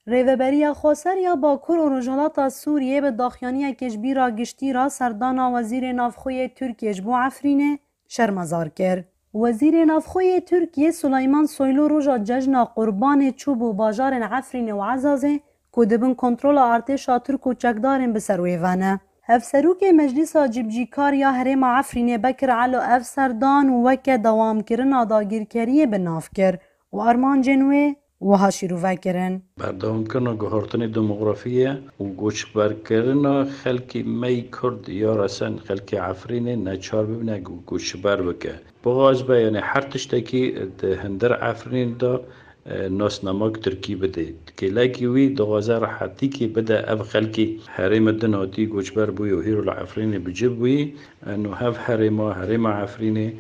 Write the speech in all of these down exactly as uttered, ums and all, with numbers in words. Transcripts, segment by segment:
Rêveberiya Xweser ya Bakur û Rojhilata Sûriyê bi daxuyaniyekê ji bîra giştî re serdana Wezîrê Navxwe yê Tirkiyê ji bo Efrînê şermezar kir. Wezîrê Navxwe yê Tirkiyê Suleyman Soylu roja cejna Qurbanê çûbû bajarên Efrînê û Ezazê ku di bin kontrola artêşa Tirk û çekdarên bi ser wê ve ne. Hevserokê Meclisa Cîbicîkar ya Herêma Efrînê Bekir Elo ev serdan weke dewamkirina dagirkeriyê bi nav kir û armancên wê wiha şîrove kirin. Berdewamkirina guhertinê demografî ye û goçberkirina xelkê me yî Kurd ya resen xelkê Efrînê neçar bibine ku goçber bike. Bixwaze be, yanî her tiştekî di hundir Efrînê de, e, nasnamek Tirkî bide. Kêlekî wî dixwaze rehetîkê bide ev xelkê herême din hatî goçber bûye û hîro li Efrînê bi cih bûyî. Eno hev herêma, herêma Efrînê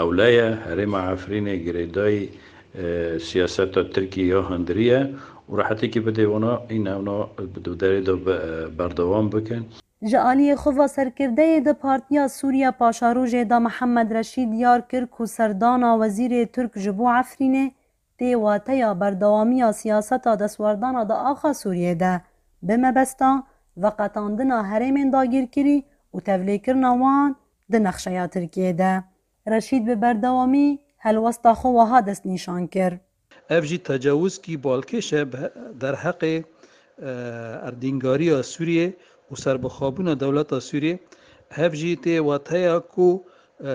ewle ye, herêma Efrînê girêdayî, e, siyaseta Tirkiyê ya hundirî ye û rehetîkê bide wana, în ewna bi derê de be-, berdewam bikin. Ji aliyê xwe ve serkirdeyê di Partiya Sûriya Paşarojê de Mihemed Reşîd diyar kir ku serdana wezîrê Tirk ji bo Efrînê tê wateya berdewamiya siyaseta destwerdana di axa Sûriyê de, bi mebesta veqetandina herêmên dagirkirî û tevlêkirina wan di nexşeya Tirkiyê de. Reşîd bi berdewamî helwesta xwe wiha destnîşan kir. Ev jî tecawizkî balkêş e bi derheqê, e, erdîngariya Sûriyê û serbixwebûna dewleta Sûriyê. Hev jî tê wateya ku, e,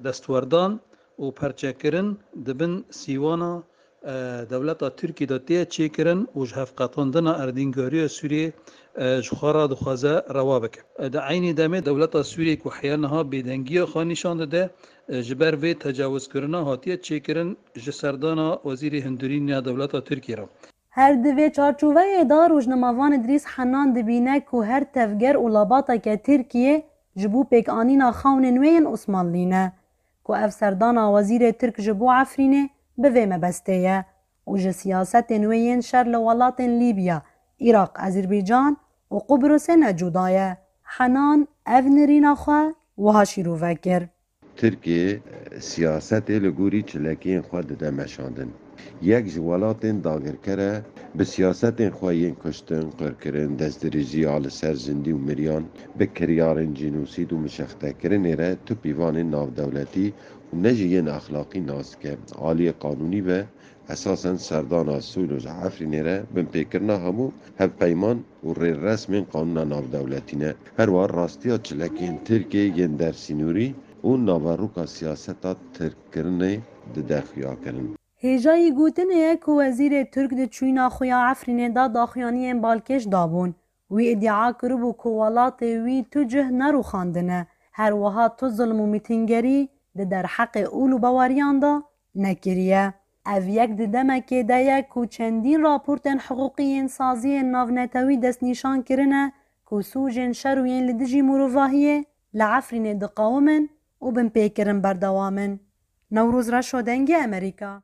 destwerdan û perçekirin di bin sîwana, e, dewleta Tirkî de tê çêkirin û ji hevqetandina erdîngariya Sûriyê, e, ji xwe re dixwaze rewa bike. E, di eynî demê dewleta Sûriyê ku heya niha bêdengiya xwe nîşan dide, e, ji ber vê tecawizkirina hatiye çêkirin ji serdana wezîrê hundirîn ya dewleta Tirkiyê re. Her di vê çarçoveyê de rojnamevan Idrîs Henan dibîne ku her tevger û labateke Tirkiyê ji bo pêkanîna xewnên wê yên Osmanlî ne, ku ev serdana wezîrê Tirk ji bo Efrînê bi vê mebestê ye û ji siyasetên wê yên şer li welatên Lîbya, Iraq, Ezerbaycan û Qubrusê ne cuda ye. Henan ev nirîna xwe wiha şîrove kir. Tirkiyê siyasetê li gorî çilekiyên xwe dide meşandin. Yek ji welatên dagirker e, bi siyasetên xwe yên kuştin, qirkirin, destdirêjiya li ser zindî û miriyan, bi kiryarên cînosîd û mişextekirinê re tu pîvanên navdewletî û ne jî yên exlaqî nas dike. Aliyê qanûnî be, esasen serdana Sûlo ji Efrînê re binpêkirina hemû hevpeyman û rêresmên qanûna navdewletî ne. Her wiha rastiya çilekên Tirkiyê yên dersînorî û naveroka siyaseta tirkkirinê dide xuyakirin. Hêjayî gotinê ye ku wezîrê Tirk di çûyîna xwe ya Efrînê de daxuyaniyên balkêş dabûn. Wî îdia kiribû ku welatê wî tu cih nerûxandine, her wiha tu zilm û mîtîngerî di derheqê ûl û baweriyan de nekiriye. Ev yek di demekê de ye ku çendîn raportên hiqûqî yên saziyên navnetewî destnîşan kirine ku sûcên şer û yên li dijî mirovahiyê li Efrînê diqewimin û binpêkirin berdewam in. Newroz Reşo, Dengê Amerîka.